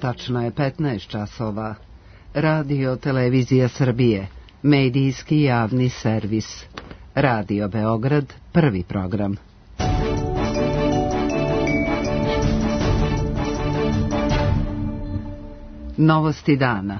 tačno je 15 časova. Radio Televizija Srbije, medijski javni servis. Radio Beograd, prvi program. Novosti dana.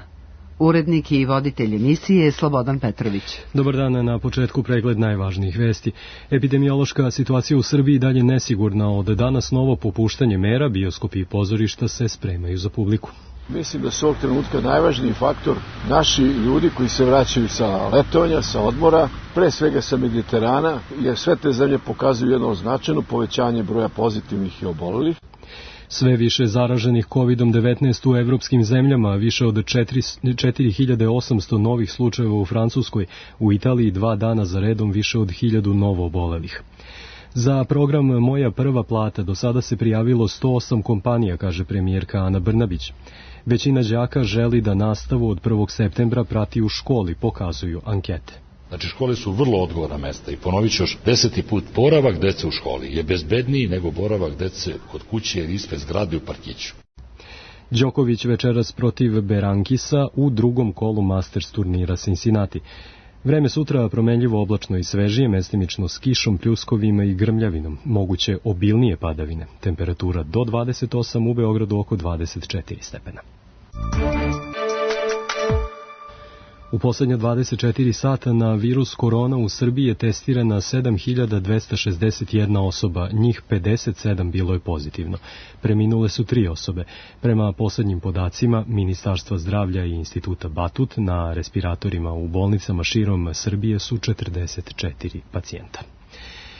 Urednik i voditelj emisije Slobodan Petrović. Dobar dan, na početku pregled najvažnijih vesti. Epidemiološka situacija u Srbiji dalje nesigurna. Od danas novo popuštanje mera, bioskopi i pozorišta se spremaju za publiku. Mislim da su ovog trenutka najvažniji faktor naši ljudi koji se vraćaju sa letovanja, sa odmora, pre svega sa Mediterana, jer sve te zemlje pokazuju jedno značajno povećanje broja pozitivnih i obolelih. Sve više zaraženih COVID-19 u evropskim zemljama, više od 4800 novih slučajeva u Francuskoj, u Italiji 2 dana za redom više od 1000 novo obolelih. Za program Moja prva plata do sada se prijavilo 108 kompanija, kaže premijerka Ana Brnabić. Većina đaka želi da nastavu od 1. septembra prati u školi, pokazuju ankete. Znači, škole su vrlo odgovorna mesta i ponovit ću još 10. put, boravak dece u školi je bezbedniji nego boravak dece kod kuće ili ispred zgrade u parkiću. Đoković večeras protiv Berankisa u drugom kolu Masters turnira Cincinnati. Vreme sutra promenljivo, oblačno i svežije, mestimično s kišom, pljuskovima i grmljavinom. Moguće obilnije padavine. Temperatura do 28, u Beogradu oko 24 stepena. U poslednja 24 sata na virus korona u Srbiji je testirana 7261 osoba, njih 57 bilo je pozitivno. Preminule su 3 osobe. Prema poslednjim podacima Ministarstva zdravlja i Instituta Batut, na respiratorima u bolnicama širom Srbije su 44 pacijenta.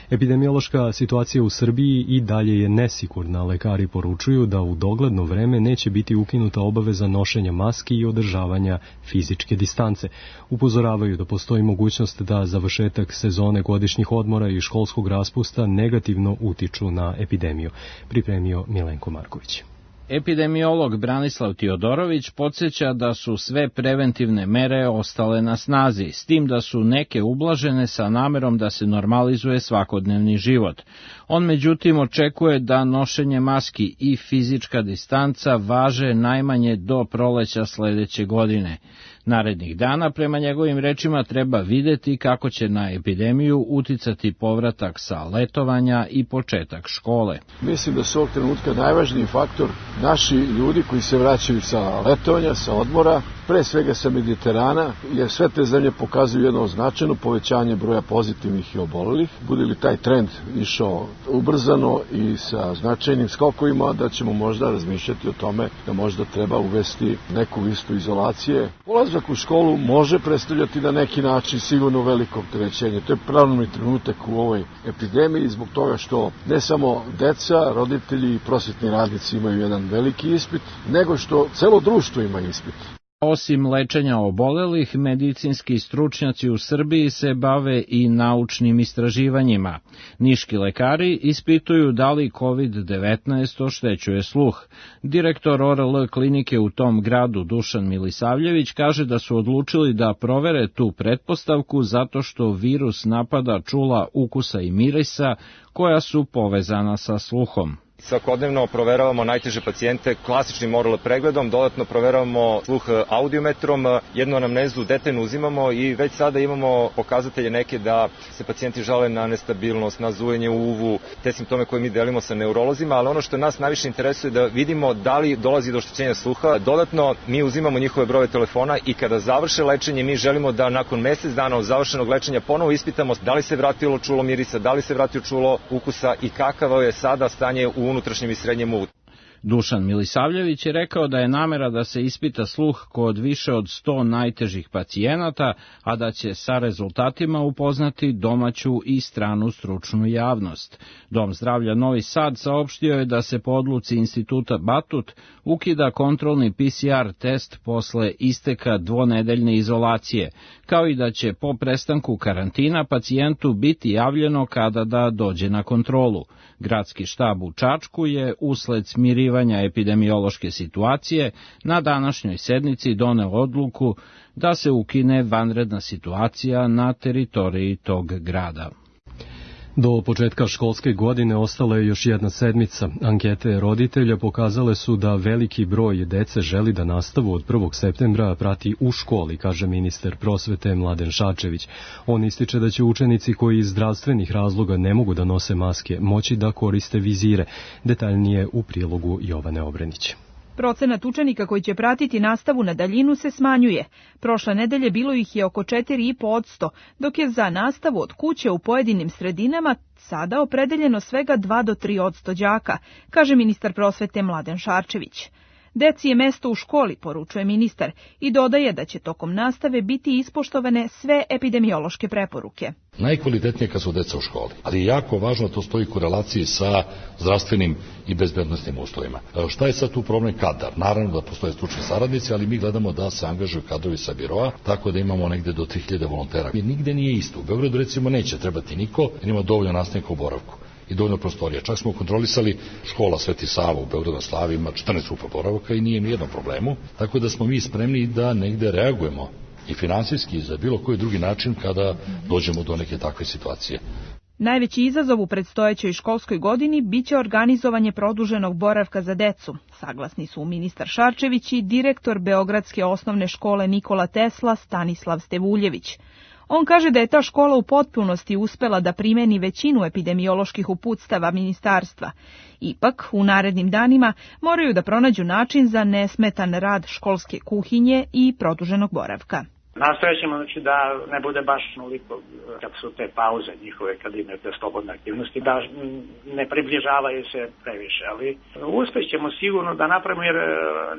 Epidemiološka situacija u Srbiji i dalje je nesigurna. Lekari poručuju da u dogledno vreme neće biti ukinuta obaveza nošenja maski i održavanja fizičke distance. Upozoravaju da postoji mogućnost da završetak sezone godišnjih odmora i školskog raspusta negativno utiču na epidemiju. Pripremio Milenko Marković. Epidemiolog Branislav Tiodorović podsjeća da su sve preventivne mere ostale na snazi, s tim da su neke ublažene sa namerom da se normalizuje svakodnevni život. On međutim očekuje da nošenje maski i fizička distanca važe najmanje do proleća sledeće godine. Narednih dana, prema njegovim rečima, treba videti kako će na epidemiju uticati povratak sa letovanja i početak škole. Mislim da su ovog trenutka najvažniji faktor naši ljudi koji se vraćaju sa letovanja, sa odmora, pre svega sa Mediterana, jer sve te zemlje pokazuju jedno značajno povećanje broja pozitivnih i obolelih. Bude li taj trend išao ubrzano i sa značajnim skokovima, da ćemo možda razmišljati o tome da možda treba uvesti neku listu izolacije. Ulazak u školu može predstavljati na neki način sigurno veliko opterećenje. To je pravilni trenutak u ovoj epidemiji zbog toga što ne samo deca, roditelji i prosvetni radnici imaju jedan veliki ispit, nego što celo društvo ima ispit. Osim lečenja obolelih, medicinski stručnjaci u Srbiji se bave i naučnim istraživanjima. Niški lekari ispituju da li COVID-19 oštećuje sluh. Direktor ORL klinike u tom gradu Dušan Milisavljević kaže da su odlučili da provere tu pretpostavku zato što virus napada čula ukusa i mirisa koja su povezana sa sluhom. Svakodnevno proveravamo najteže pacijente klasičnim ORL pregledom, dodatno proveravamo sluh audiometrom, jednu anamnezu detaljno uzimamo i već sada imamo pokazatelje neke da se pacijenti žale na nestabilnost, na zujenje u uvu, te simptome koje mi delimo sa neurolozima, ali ono što nas najviše interesuje je da vidimo da li dolazi do oštećenja sluha. Dodatno mi uzimamo njihove brojeve telefona i kada završe lečenje mi želimo da nakon mesec dana od završenog lečenja ponovo ispitamo da li se vratilo čulo mirisa, da li se vratilo čulo ukusa i kakavo je sada stanje u unutrašnjem i srednjem uvu. Dušan Milisavljević je rekao da je namera da se ispita sluh kod više od 100 najtežih pacijenata, a da će sa rezultatima upoznati domaću i stranu stručnu javnost. Dom zdravlja Novi Sad saopštio je da se po odluci Instituta Batut ukida kontrolni PCR test posle isteka dvonedeljne izolacije, kao i da će po prestanku karantina pacijentu biti javljeno kada da dođe na kontrolu. Gradski štab u Čačku je usled smirivanja epidemiološke situacije na današnjoj sednici doneo odluku da se ukine vanredna situacija na teritoriji tog grada. Do početka školske godine ostala je još jedna sedmica. Ankete roditelja pokazale su da veliki broj dece želi da nastavu od 1. septembra prati u školi, kaže ministar prosvete Mladen Šarčević. On ističe da će učenici koji iz zdravstvenih razloga ne mogu da nose maske moći da koriste vizire. Detaljnije u prilogu Jovane Obrenić. Procenat učenika koji će pratiti nastavu na daljinu se smanjuje. Prošle nedelje bilo ih je oko 4,5%, dok je za nastavu od kuće u pojedinim sredinama sada opredeljeno svega 2 do 3% đaka, kaže ministar prosvete Mladen Šarčević. Deci je mesto u školi, poručuje ministar, i dodaje da će tokom nastave biti ispoštovane sve epidemiološke preporuke. Najkvalitetnije kad su deca u školi, ali je jako važno to stoji u korelaciji sa zdravstvenim i bezbednosnim uslovima. Šta je sad tu problem? Kadar. Naravno da postoje stručni saradnici, ali mi gledamo da se angažuju kadrovi sa biroa, tako da imamo negde do 3000 volontera. Nigde nije isto. U Beogradu recimo neće trebati niko, jer ima dovoljno nastavnika u boravku i dovoljno prostorija. Čak smo kontrolisali škola Sveti Sava u Beogradu na Slavi, ima 14 grupa boravaka i nije nijednom problemu, tako da smo mi spremni da negde reagujemo i finansijski i za bilo koji drugi način kada dođemo do neke takve situacije. Najveći izazov u predstojećoj školskoj godini biće organizovanje produženog boravka za decu. Saglasni su ministar Šarčević i direktor Beogradske osnovne škole Nikola Tesla Stanislav Stevuljević. On kaže da je ta škola u potpunosti uspela da primeni većinu epidemioloških uputstava ministarstva. Ipak, u narednim danima moraju da pronađu način za nesmetan rad školske kuhinje i produženog boravka. Nastojat ćemo da ne bude baš onoliko kad su te pauze njihove, kad imaju te slobodne aktivnosti, da ne približavaju se previše, ali uspjećemo sigurno da napravimo jer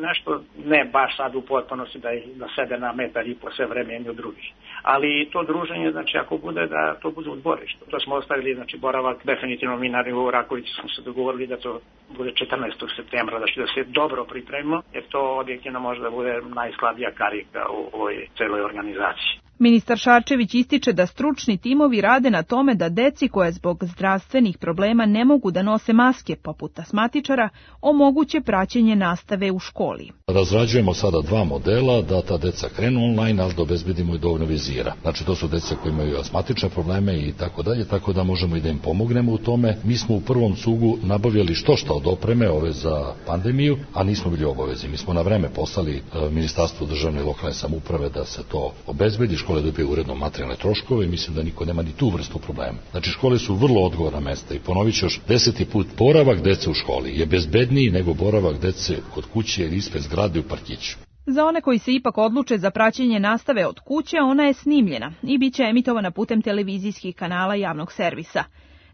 nešto ne baš sad u potpunosti da sede na metar i po sve vreme jedni od drugih. Ali to druženje, znači ako bude da to bude u dvorištu. To smo ostavili, znači boravak definitivno mi na nivou Rakovića smo se dogovorili da to bude 14. septembra, znači da se dobro pripremimo, jer to objektivno može da bude najslabija karika u ovoj celoj organizaciji. Ministar Šarčević ističe da stručni timovi rade na tome da deci koje zbog zdravstvenih problema ne mogu da nose maske, poput asmatičara, omoguće praćenje nastave u školi. Razrađujemo sada 2 modela, da ta deca krenu online, ali da obezbedimo i dovoljno vizira. Znači to su deca koji imaju asmatične probleme i tako dalje, tako da možemo i da im pomognemo u tome. Mi smo u prvom cugu nabavljali što od opreme ove za pandemiju, a nismo bili obavezi. Mi smo na vreme poslali Ministarstvu državne i lokalne samouprave da se to obezbedi, škole dobije uredno materijalne troškove i mislim da niko nema ni tu vrstu problema. Znači škole su vrlo odgovorna mesta i ponovit ću još 10. put, boravak dece u školi je bezbedniji nego boravak dece kod kuće ili ispred zgrade u parkiću. Za one koji se ipak odluče za praćenje nastave od kuće, ona je snimljena i bit će emitovana putem televizijskih kanala javnog servisa.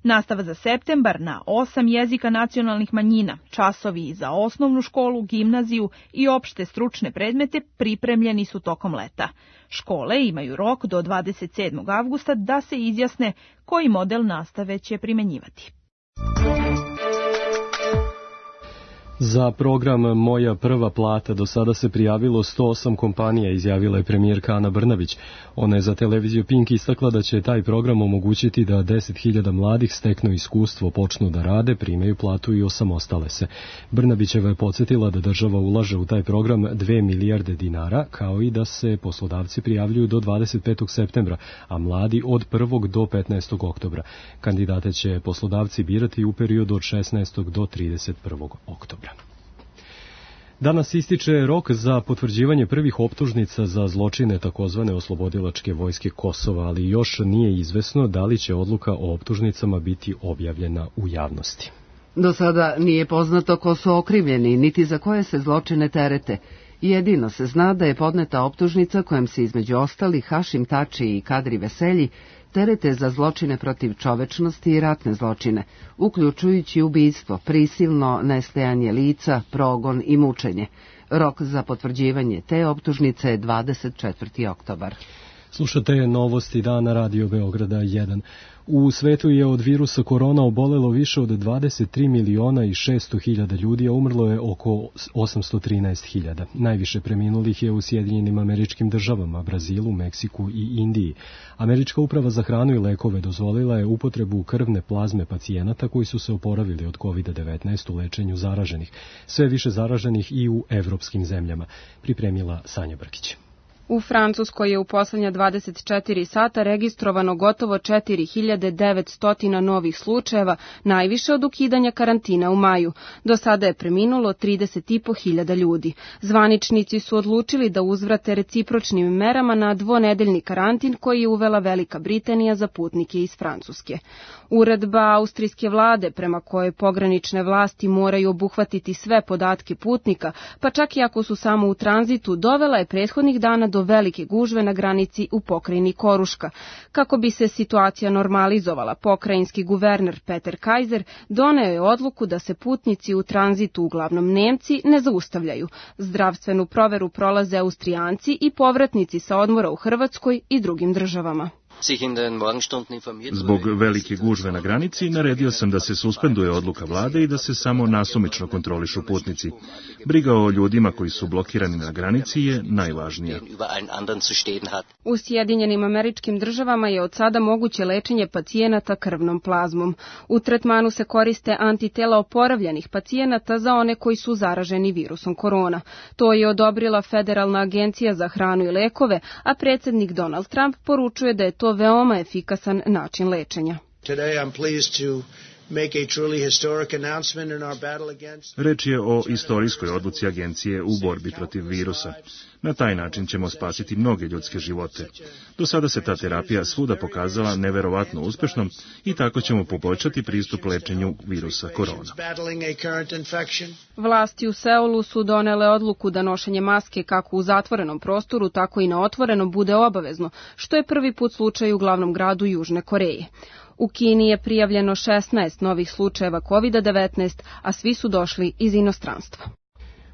Nastava za septembar na 8 jezika nacionalnih manjina, časovi za osnovnu školu, gimnaziju i opšte stručne predmete pripremljeni su tokom leta. Škole imaju rok do 27. avgusta da se izjasne koji model nastave će primenjivati. Za program Moja prva plata do sada se prijavilo 108 kompanija, izjavila je premijerka Ana Brnabić. Ona je za televiziju Pink istakla da će taj program omogućiti da 10.000 mladih steknu iskustvo, počnu da rade, primaju platu i osamostale se. Brnabićeva je podsjetila da država ulaže u taj program 2 milijarde dinara, kao i da se poslodavci prijavljuju do 25. septembra, a mladi od 1. do 15. oktobra. Kandidate će poslodavci birati u periodu od 16. do 31. oktobra. Danas ističe rok za potvrđivanje prvih optužnica za zločine takozvane oslobodilačke vojske Kosova, ali još nije izvesno da li će odluka o optužnicama biti objavljena u javnosti. Do sada nije poznato ko su okrivljeni, niti za koje se zločine terete. Jedino se zna da je podneta optužnica kojom se između ostalih Hašim Tači i Kadri Veselji terete za zločine protiv čovečnosti i ratne zločine, uključujući ubistvo, prisilno nestajanje lica, progon i mučenje. Rok za potvrđivanje te optužnice je 24. oktobar. Slušate novosti dana Radio Beograda 1. U svetu je od virusa korona obolelo više od 23 miliona i 600 hiljada ljudi, a umrlo je oko 813 hiljada. Najviše preminulih je u Sjedinjenim Američkim Državama, Brazilu, Meksiku i Indiji. Američka uprava za hranu i lekove dozvolila je upotrebu krvne plazme pacijenata koji su se oporavili od COVID-19 u lečenju zaraženih. Sve više zaraženih i u evropskim zemljama, pripremila Sanja Brkić. U Francuskoj je u poslednja 24 sata registrovano gotovo 4900 novih slučajeva, najviše od ukidanja karantina u maju. Do sada je preminulo 30.500 ljudi. Zvaničnici su odlučili da uzvrate recipročnim merama na dvonedeljni karantin koji je uvela Velika Britanija za putnike iz Francuske. Uredba austrijske vlade prema kojoj pogranične vlasti moraju obuhvatiti sve podatke putnika, pa čak i ako su samo u tranzitu, dovela je prethodnih dana do velike gužve na granici u pokrajini Koruška. Kako bi se situacija normalizovala, pokrajinski guverner Peter Kaiser doneo je odluku da se putnici u tranzitu, uglavnom Nemci, ne zaustavljaju. Zdravstvenu proveru prolaze Austrijanci i povratnici sa odmora u Hrvatskoj i drugim državama. Zbog velike gužve na granici naredio sam da se suspenduje odluka vlade i da se samo nasumično kontrolišu putnici. Briga o ljudima koji su blokirani na granici je najvažnija. U Sjedinjenim Američkim Državama je od sada moguće lečenje pacijenata krvnom plazmom. U tretmanu se koriste antitela oporavljenih pacijenata za one koji su zaraženi virusom korona. To je odobrila Federalna agencija za hranu i lekove, a predsjednik Donald Trump poručuje da je to veoma efikasan način lečenja. Reč je o istorijskoj odluci agencije u borbi protiv virusa. Na taj način ćemo spasiti mnoge ljudske živote. Do sada se ta terapija svuda pokazala neverovatno uspešnom i tako ćemo poboljšati pristup lečenju virusa korona. Vlasti u Seulu su donele odluku da nošenje maske kako u zatvorenom prostoru, tako i na otvorenom bude obavezno, što je prvi put slučaj u glavnom gradu Južne Koreje. U Kini je prijavljeno 16 novih slučajeva COVID-19, a svi su došli iz inostranstva.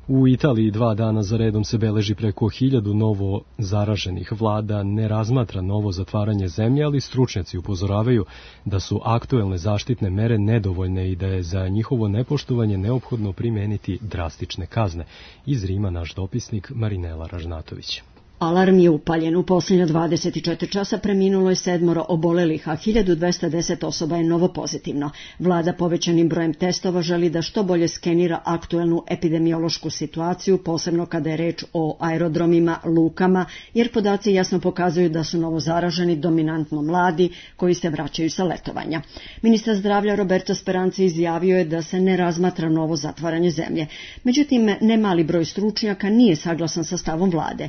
U Italiji 2 dana za redom se beleži preko 1000 novo zaraženih. Vlada ne razmatra novo zatvaranje zemlje, ali stručnjaci upozoravaju da su aktuelne zaštitne mere nedovoljne i da je za njihovo nepoštovanje neophodno primeniti drastične kazne. Iz Rima naš dopisnik Marinela Ražnatović. Alarm je upaljen. U posljednja 24 časa preminulo je 7 obolelih, a 1210 osoba je novo pozitivno. Vlada povećanim brojem testova želi da što bolje skenira aktuelnu epidemiološku situaciju, posebno kada je reč o aerodromima, lukama, jer podaci jasno pokazuju da su novo zaraženi dominantno mladi koji se vraćaju sa letovanja. Ministar zdravlja Roberto Speranza izjavio je da se ne razmatra novo zatvaranje zemlje. Međutim, nemali broj stručnjaka nije saglasan sa stavom vlade.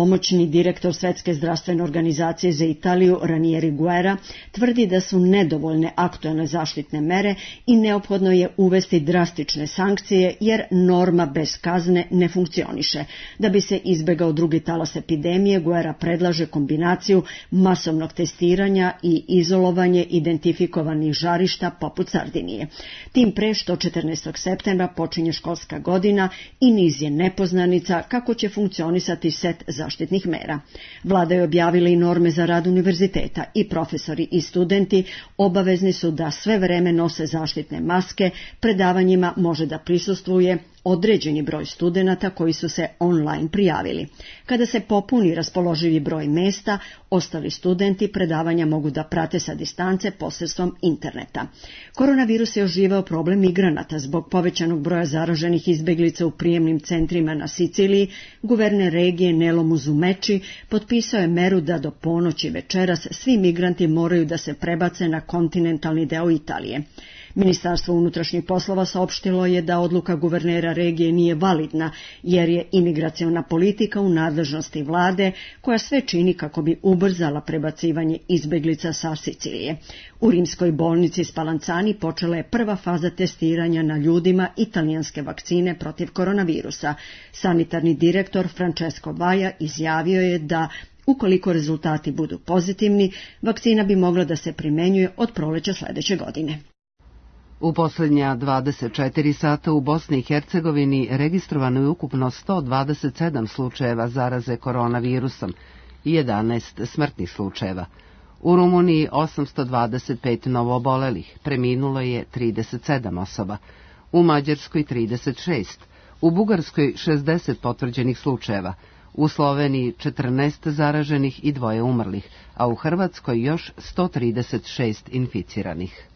Pomoćni direktor Svetske zdravstvene organizacije za Italiju, Ranieri Guerra, tvrdi da su nedovoljne aktuelne zaštitne mere i neophodno je uvesti drastične sankcije jer norma bez kazne ne funkcioniše. Da bi se izbegao drugi talas epidemije, Guerra predlaže kombinaciju masovnog testiranja i izolovanje identifikovanih žarišta poput Sardinije. Tim pre što 14. septembra počinje školska godina i niz je nepoznanica kako će funkcionisati set zaštitnih mera. Vlada je objavila i norme za rad univerziteta i profesori i studenti obavezni su da sve vreme nose zaštitne maske, predavanjima može da prisustvuje određeni broj studenata koji su se online prijavili. Kada se popuni raspoloživi broj mesta, ostali studenti predavanja mogu da prate sa distance posredstvom interneta. Koronavirus je oživao problem migranata zbog povećanog broja zaraženih izbeglica u prijemnim centrima na Siciliji. Guverner regije Nelo Musumeci potpisao je meru da do ponoći večeras svi migranti moraju da se prebace na kontinentalni deo Italije. Ministarstvo unutrašnjih poslova saopštilo je da odluka guvernera regije nije validna, jer je imigraciona politika u nadležnosti vlade, koja sve čini kako bi ubrzala prebacivanje izbeglica sa Sicilije. U rimskoj bolnici Spallanzani počela je prva faza testiranja na ljudima italijanske vakcine protiv koronavirusa. Sanitarni direktor Francesco Vaja izjavio je da ukoliko rezultati budu pozitivni, vakcina bi mogla da se primenjuje od proleća sledeće godine. U posljednja 24 sata u Bosni i Hercegovini registrovano je ukupno 127 slučajeva zaraze koronavirusom i 11 smrtnih slučajeva. U Rumuniji 825 novoobolelih, preminulo je 37 osoba, u Mađarskoj 36, u Bugarskoj 60 potvrđenih slučajeva, u Sloveniji 14 zaraženih i 2 umrlih, a u Hrvatskoj još 136 inficiranih.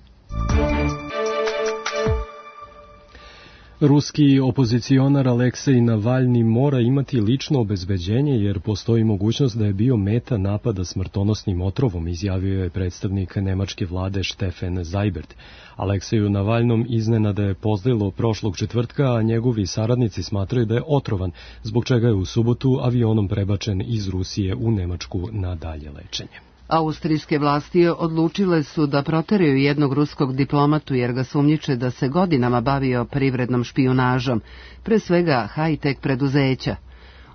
Ruski opozicionar Aleksej Navalni mora imati lično obezbeđenje jer postoji mogućnost da je bio meta napada smrtonosnim otrovom, izjavio je predstavnik nemačke vlade Stefan Seibert. Alekseju Navalnom iznenada je pozlilo prošlog četvrtka, a njegovi saradnici smatraju da je otrovan, zbog čega je u subotu avionom prebačen iz Rusije u Nemačku na dalje lečenje. Austrijske vlasti odlučile su da proteraju jednog ruskog diplomatu jer ga sumnjiče da se godinama bavio privrednom špijunažom, pre svega high-tech preduzeća.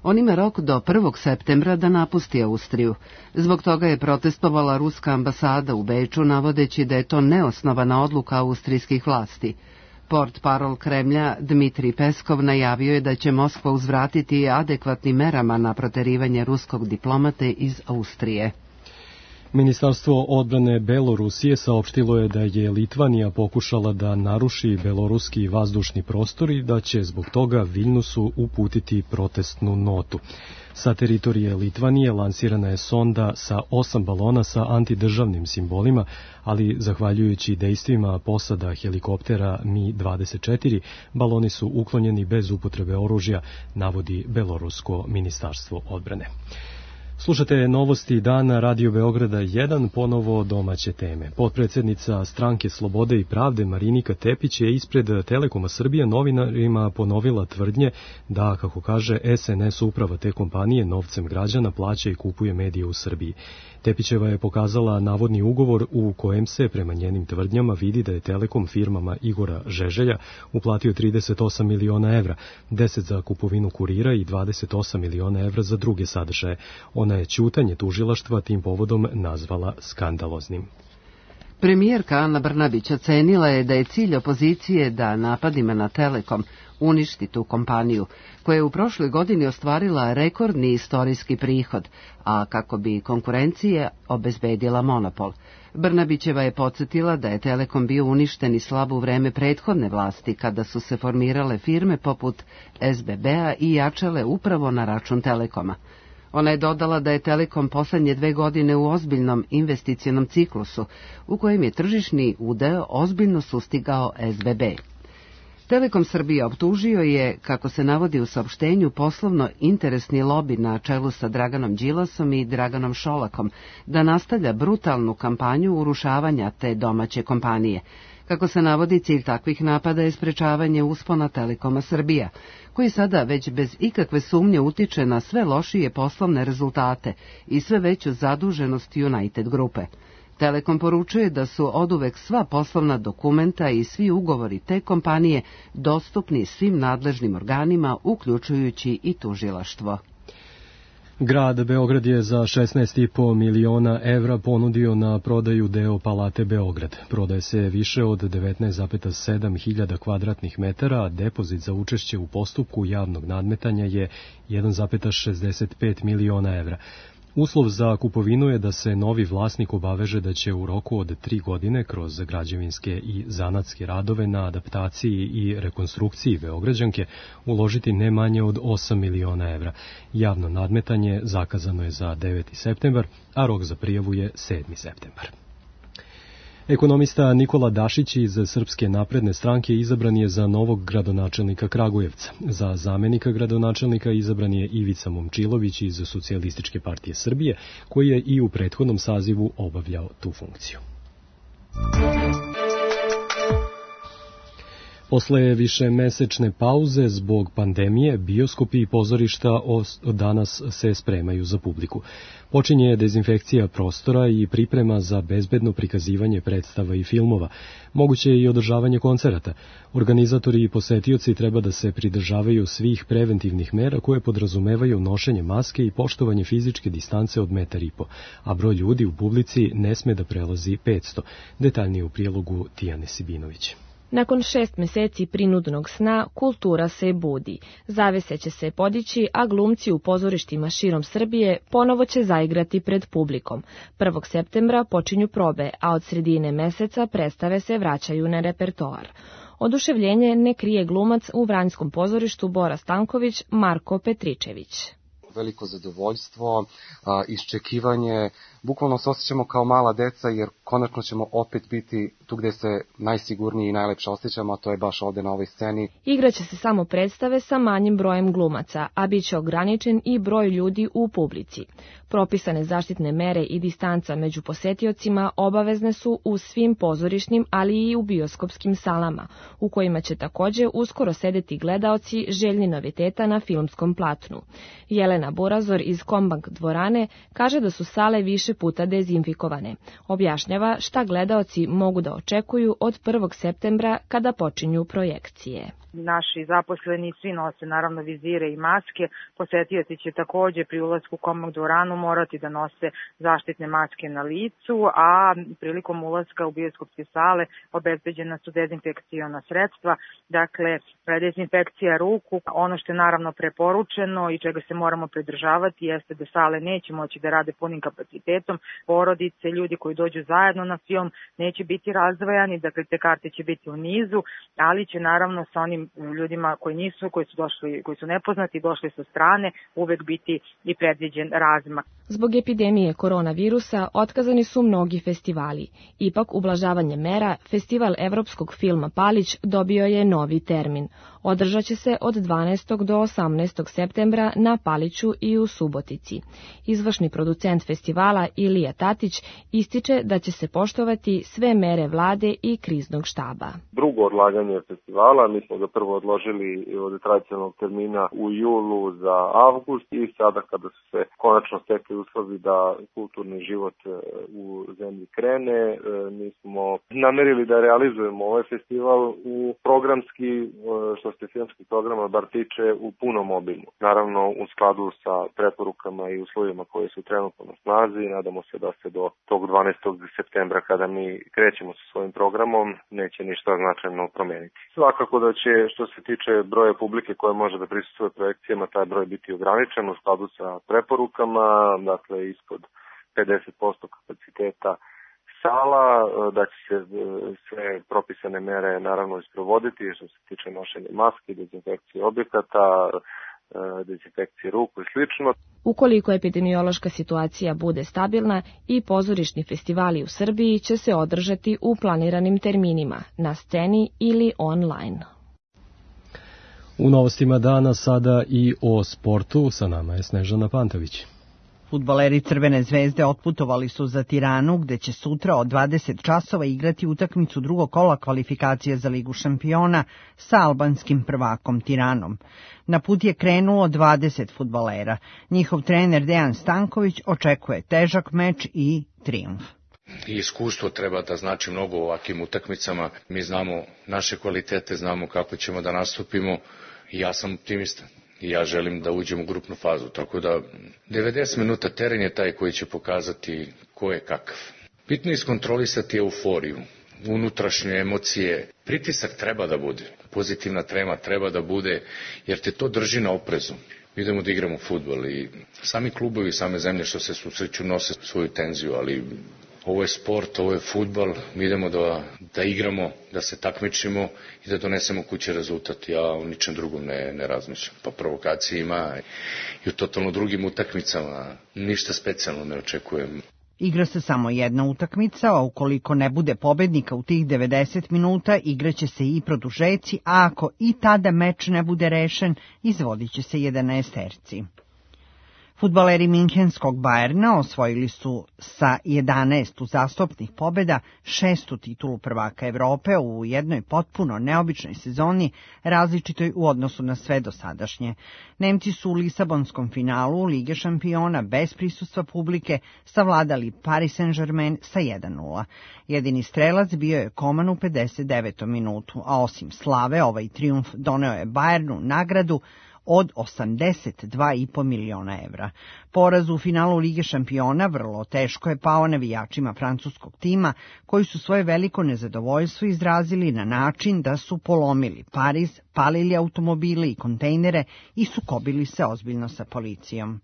On ima rok do 1. septembra da napusti Austriju. Zbog toga je protestovala ruska ambasada u Beču, navodeći da je to neosnovana odluka austrijskih vlasti. Portparol Kremlja Dmitrij Peskov najavio je da će Moskva uzvratiti adekvatnim merama na proterivanje ruskog diplomate iz Austrije. Ministarstvo odbrane Belorusije saopštilo je da je Litvanija pokušala da naruši beloruski vazdušni prostor i da će zbog toga Viljnusu uputiti protestnu notu. Sa teritorije Litvanije lansirana je sonda sa 8 balona sa antidržavnim simbolima, ali zahvaljujući dejstvima posada helikoptera Mi-24, baloni su uklonjeni bez upotrebe oružja, navodi Belorusko ministarstvo odbrane. Slušate novosti dana Radio Beograda 1, ponovo domaće teme. Potpredsednica Stranke Slobode i pravde Marinika Tepić je ispred Telekoma Srbija novinarima ponovila tvrdnje da, kako kaže, SNS uprava te kompanije novcem građana plaća i kupuje medije u Srbiji. Tepićeva je pokazala navodni ugovor u kojem se, prema njenim tvrdnjama, vidi da je Telekom firmama Igora Žeželja uplatio 38 miliona evra, 10 za kupovinu kurira i 28 miliona evra za druge sadržaje. Ona je ćutanje tužilaštva tim povodom nazvala skandaloznim. Premijerka Ana Brnabić ocenila je da je cilj opozicije da napadima na Telekom uništi tu kompaniju, koja je u prošloj godini ostvarila rekordni istorijski prihod, a kako bi konkurencija obezbedila monopol. Brnabićeva je podsjetila da je Telekom bio uništen i slab u vreme prethodne vlasti, kada su se formirale firme poput SBB-a i jačale upravo na račun Telekoma. Ona je dodala da je Telekom poslednje 2 godine u ozbiljnom investicionom ciklusu, u kojem je tržišni udeo ozbiljno sustigao SBB. Telekom Srbija optužio je, kako se navodi u saopštenju, poslovno interesni lobi na čelu sa Draganom Đilasom i Draganom Šolakom da nastavlja brutalnu kampanju urušavanja te domaće kompanije. Kako se navodi, cilj takvih napada je sprečavanje uspona Telekoma Srbija, koji sada već bez ikakve sumnje utiče na sve lošije poslovne rezultate i sve veću zaduženost United grupe. Telekom poručuje da su oduvek sva poslovna dokumenta i svi ugovori te kompanije dostupni svim nadležnim organima, uključujući i tužilaštvo. Grad Beograd je za 16,5 miliona evra ponudio na prodaju deo Palate Beograd. Prodaje se više od 19,7 hiljada kvadratnih metara, a depozit za učešće u postupku javnog nadmetanja je 1,65 miliona evra. Uslov za kupovinu je da se novi vlasnik obaveže da će u roku od 3 godine kroz građevinske i zanatske radove na adaptaciji i rekonstrukciji Beograđanke uložiti ne manje od 8 miliona evra. Javno nadmetanje zakazano je za 9. septembar, a rok za prijavu je 7. septembar. Ekonomista Nikola Dašić iz Srpske napredne stranke izabran je za novog gradonačelnika Kragujevca. Za zamenika gradonačelnika izabran je Ivica Momčilović iz Socijalističke partije Srbije, koji je i u prethodnom sazivu obavljao tu funkciju. Posle višemesečne pauze zbog pandemije, bioskopi i pozorišta od danas se spremaju za publiku. Počinje dezinfekcija prostora i priprema za bezbedno prikazivanje predstava i filmova. Moguće je i održavanje koncerata. Organizatori i posetioci treba da se pridržavaju svih preventivnih mera koje podrazumevaju nošenje maske i poštovanje fizičke distance od 1,5 metra, a broj ljudi u publici ne sme da prelazi 500. Detaljnije u prilogu Tijane Sibinović. Nakon 6 meseci prinudnog sna, kultura se budi. Zavese će se podići, a glumci u pozorištima širom Srbije ponovo će zaigrati pred publikom. 1. septembra počinju probe, a od sredine meseca predstave se vraćaju na repertoar. Oduševljenje ne krije glumac u Vranjskom pozorištu Bora Stanković Marko Petričević. veliko zadovoljstvo, iščekivanje. Bukvalno se osjećamo kao mala deca jer konačno ćemo opet biti tu gde se najsigurniji i najlepše osjećamo, a to je baš ovde na ovoj sceni. Igraće se samo predstave sa manjim brojem glumaca, a bit će ograničen i broj ljudi u publici. Propisane zaštitne mere i distanca među posetiocima obavezne su u svim pozorišnim, ali i u bioskopskim salama, u kojima će takođe uskoro sedeti gledaoci željni noviteta na filmskom platnu. Jelena Burazor iz Kombank dvorane kaže da su sale više puta dezinfikovane. Objašnjava šta gledaoci mogu da očekuju od 1. septembra kada počinju projekcije. Naši zaposleni svi nose naravno vizire i maske. Posetioci će takođe pri ulasku u Kombank dvoranu morati da nose zaštitne maske na licu, a prilikom ulaska u bioskopske sale obezbeđena su dezinfekciona sredstva, dakle dezinfekcija ruku. Ono što je naravno preporučeno i čega se moramo pridržavati jeste da sale neće moći da rade punim kapacitetom. Porodice, ljudi koji dođu zajedno na film neće biti razdvajani, dakle te karte će biti u nizu, ali će naravno sa onim ljudima koji su nepoznati, došli sa strane, uvek biti i predviđen razmak. Zbog epidemije koronavirusa otkazani su mnogi festivali. Ipak, ublažavanje mera, Festival evropskog filma Palić dobio je novi termin. Održaće se od 12. do 18. septembra na Paliću i u Subotici. Izvršni producent festivala Ilija Tatić ističe da će se poštovati sve mere vlade i kriznog štaba. Drugo odlaganje festivala, mi smo ga prvo odložili od tradicionalnog termina u julu za avgust i sada kada su se konačno stekli uslovi da kulturni život u zemlji krene, mi smo namerili da realizujemo ovaj festival u programski, što se filmskih programa bar tiče, u punom obimu. Naravno u skladu sa preporukama i uslovima koje su trenutno na snazi, nadamo se da se do tog 12. septembra kada mi krećemo sa svojim programom neće ništa značajno promeniti. Svakako da će, što se tiče broja publike koja može da prisustvuje projekcijama, taj broj biti ograničen u skladu sa preporukama, dakle ispod 50% kapaciteta sala, da će se sve propisane mere naravno isprovoditi što se tiče nošenja maski, dezinfekcije objekata, dezinfekcije ruku i slično. Ukoliko epidemiološka situacija bude stabilna, i pozorišni festivali u Srbiji će se održati u planiranim terminima, na sceni ili online. U novostima dana sada i o sportu, sa nama je Snežana Pantović. Fudbaleri Crvene zvezde otputovali su za Tiranu, gde će sutra od 20 časova igrati utakmicu drugog kola kvalifikacije za Ligu šampiona sa albanskim prvakom Tiranom. Na put je krenulo 20 fudbalera. Njihov trener Dejan Stanković očekuje težak meč i trijumf. Iskustvo treba da znači mnogo u ovakvim utakmicama. Mi znamo naše kvalitete, znamo kako ćemo da nastupimo i ja sam optimista. I ja želim da uđem u grupnu fazu, tako da 90 minuta teren je taj koji će pokazati ko je kakav. Bitno je iskontrolisati euforiju, unutrašnje emocije. Pritisak treba da bude, pozitivna trema treba da bude, jer te to drži na oprezu. Idemo da igramo fudbal i sami klubovi, same zemlje što se susreću nose svoju tenziju, ali ovo je sport, ovo je fudbal, mi idemo da igramo, da se takmičimo i da donesemo kuće rezultat. Ja o ničem drugom ne razmišljam. Pa provokacije ima i u totalno drugim utakmicama, ništa specijalno ne očekujem. Igra se samo jedna utakmica, a ukoliko ne bude pobednika u tih 90 minuta, igraće se i produžeci, a ako i tada meč ne bude rešen, izvodit će se 11-terci. Fudbaleri Minhenskog Bajerna osvojili su sa 11 uzastopnih pobjeda 6. titulu prvaka Evrope u jednoj potpuno neobičnoj sezoni, različitoj u odnosu na sve dosadašnje. Nemci su u Lisabonskom finalu Lige šampiona bez prisustva publike savladali Paris Saint-Germain sa 1:0. Jedini strelac bio je Koman u 59. minutu, a osim slave ovaj trijumf doneo je Bajernu nagradu od 82,5 miliona evra. Poraz u finalu Lige šampiona vrlo teško je pao navijačima francuskog tima, koji su svoje veliko nezadovoljstvo izrazili na način da su polomili Pariz, palili automobile i kontejnere i sukobili se ozbiljno sa policijom.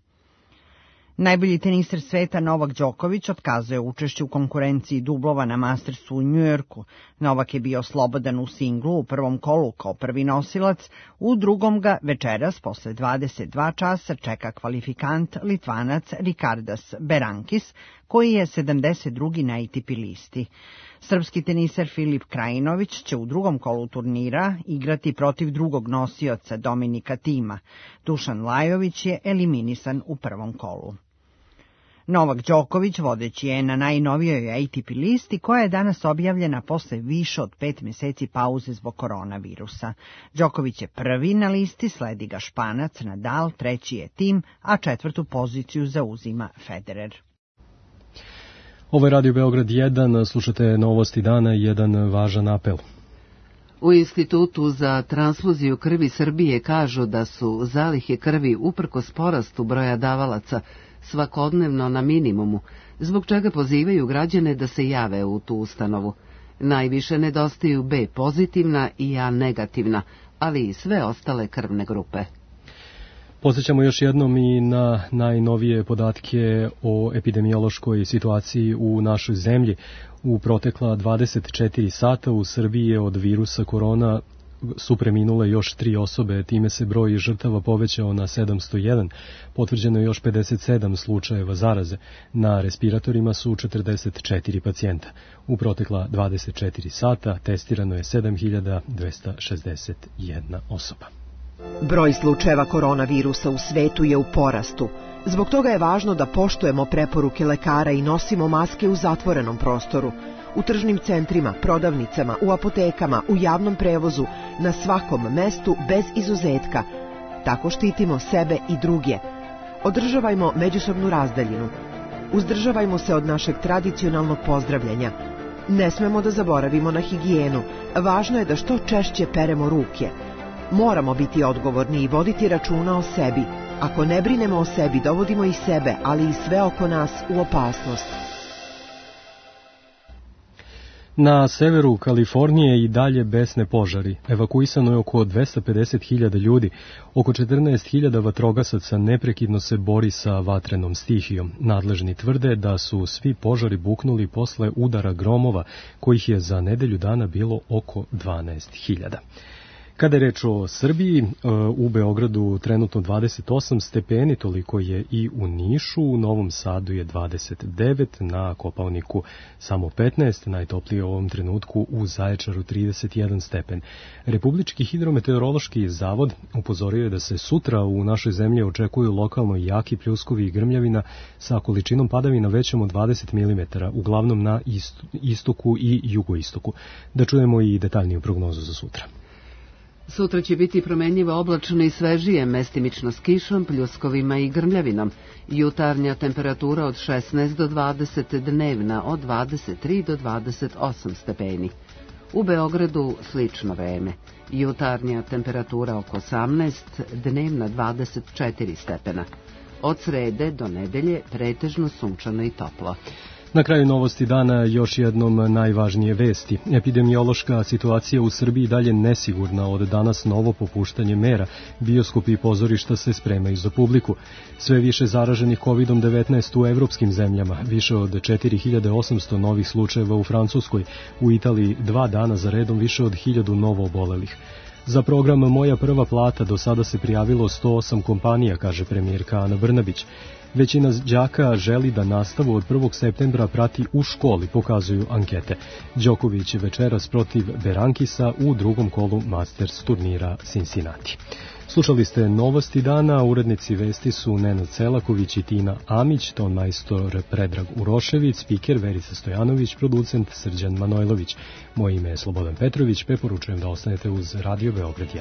Najbolji teniser sveta Novak Đoković otkazuje učešće u konkurenciji dublova na Mastersu u Njujorku. Novak je bio slobodan u singlu u prvom kolu kao prvi nosilac, u drugom ga večeras posle 22 časa čeka kvalifikant Litvanac Rikardas Berankis, koji je 72. na ATP listi. Srpski teniser Filip Krajinović će u drugom kolu turnira igrati protiv drugog nosioca Dominika Tima. Dušan Lajović je eliminisan u prvom kolu. Novak Đoković vodeći je na najnovijoj ATP listi koja je danas objavljena posle više od 5 meseci pauze zbog koronavirusa. Đoković je prvi na listi, sledi ga Španac, Nadal, treći je Tim, a četvrtu poziciju zauzima Federer. Ovo je Radio Beograd 1, slušate novosti dana i jedan važan apel. U Institutu za transfuziju krvi Srbije kažu da su zalihe krvi uprkos porastu broja davalaca svakodnevno na minimumu, zbog čega pozivaju građane da se jave u tu ustanovu. Najviše nedostaju B pozitivna i A negativna, ali i sve ostale krvne grupe. Podsjećamo još jednom i na najnovije podatke o epidemiološkoj situaciji u našoj zemlji. U protekla 24 sata u Srbiji je od virusa korona su preminule još 3 osobe, time se broj žrtava povećao na 701, potvrđeno je još 57 slučajeva zaraze, na respiratorima su 44 pacijenta. U protekla 24 sata testirano je 7261 osoba. Broj slučajeva koronavirusa u svetu je u porastu. Zbog toga je važno da poštujemo preporuke lekara i nosimo maske u zatvorenom prostoru, u tržnim centrima, prodavnicama, u apotekama, u javnom prevozu, na svakom mestu bez izuzetka. Tako štitimo sebe i druge. Održavajmo međusobnu razdaljinu. Uzdržavajmo se od našeg tradicionalnog pozdravljanja. Ne smemo da zaboravimo na higijenu. Važno je da što češće peremo ruke. Moramo biti odgovorni i voditi računa o sebi. Ako ne brinemo o sebi, dovodimo i sebe, ali i sve oko nas u opasnost. Na severu Kalifornije i dalje besne požari. Evakuisano je oko 250.000 ljudi. Oko 14.000 vatrogasaca neprekidno se bori sa vatrenom stihijom. Nadležni tvrde da su svi požari buknuli posle udara gromova, kojih je za nedelju dana bilo oko 12.000. Kada je reč o Srbiji, u Beogradu trenutno 28 stepeni, toliko je i u Nišu, u Novom Sadu je 29, na Kopaoniku samo 15, najtoplije u ovom trenutku u Zaječaru 31 stepen. Republički hidrometeorološki zavod upozorio je da se sutra u našoj zemlji očekuju lokalno jaki pljuskovi i grmljavina sa količinom padavina većom od 20 mm, uglavnom na istoku i jugoistoku. Da čujemo i detaljniju prognozu za sutra. Sutra će biti promenljivo oblačno i svežije, mestimično s kišom, pljuskovima i grmljavinom. Jutarnja temperatura od 16 do 20, dnevna od 23 do 28 stepeni. U Beogradu slično vreme. Jutarnja temperatura oko 18, dnevna 24 stepena. Od srede do nedelje pretežno sunčano i toplo. Na kraju novosti dana još jednom najvažnije vesti. Epidemiološka situacija u Srbiji dalje nesigurna, od danas novo popuštanje mera. Bioskopi i pozorišta se spremaju za publiku. Sve više zaraženih COVID-19 u evropskim zemljama, više od 4800 novih slučajeva u Francuskoj, u Italiji 2 dana za redom više od 1000 novo obolelih. Za program Moja prva plata do sada se prijavilo 108 kompanija, kaže premijerka Ana Brnabić. Većina đaka želi da nastavu od 1. septembra prati u školi, pokazuju ankete. Đoković je večeras protiv Berankisa u drugom kolu Masters turnira Cincinnati. Slušali ste novosti dana, urednici vesti su Nenad Celaković i Tina Amić, ton majstor Predrag Urošević, spiker Verica Stojanović, producent Srđan Manojlović. Moje ime je Slobodan Petrović, preporučujem da ostanete uz Radio Beograd 1.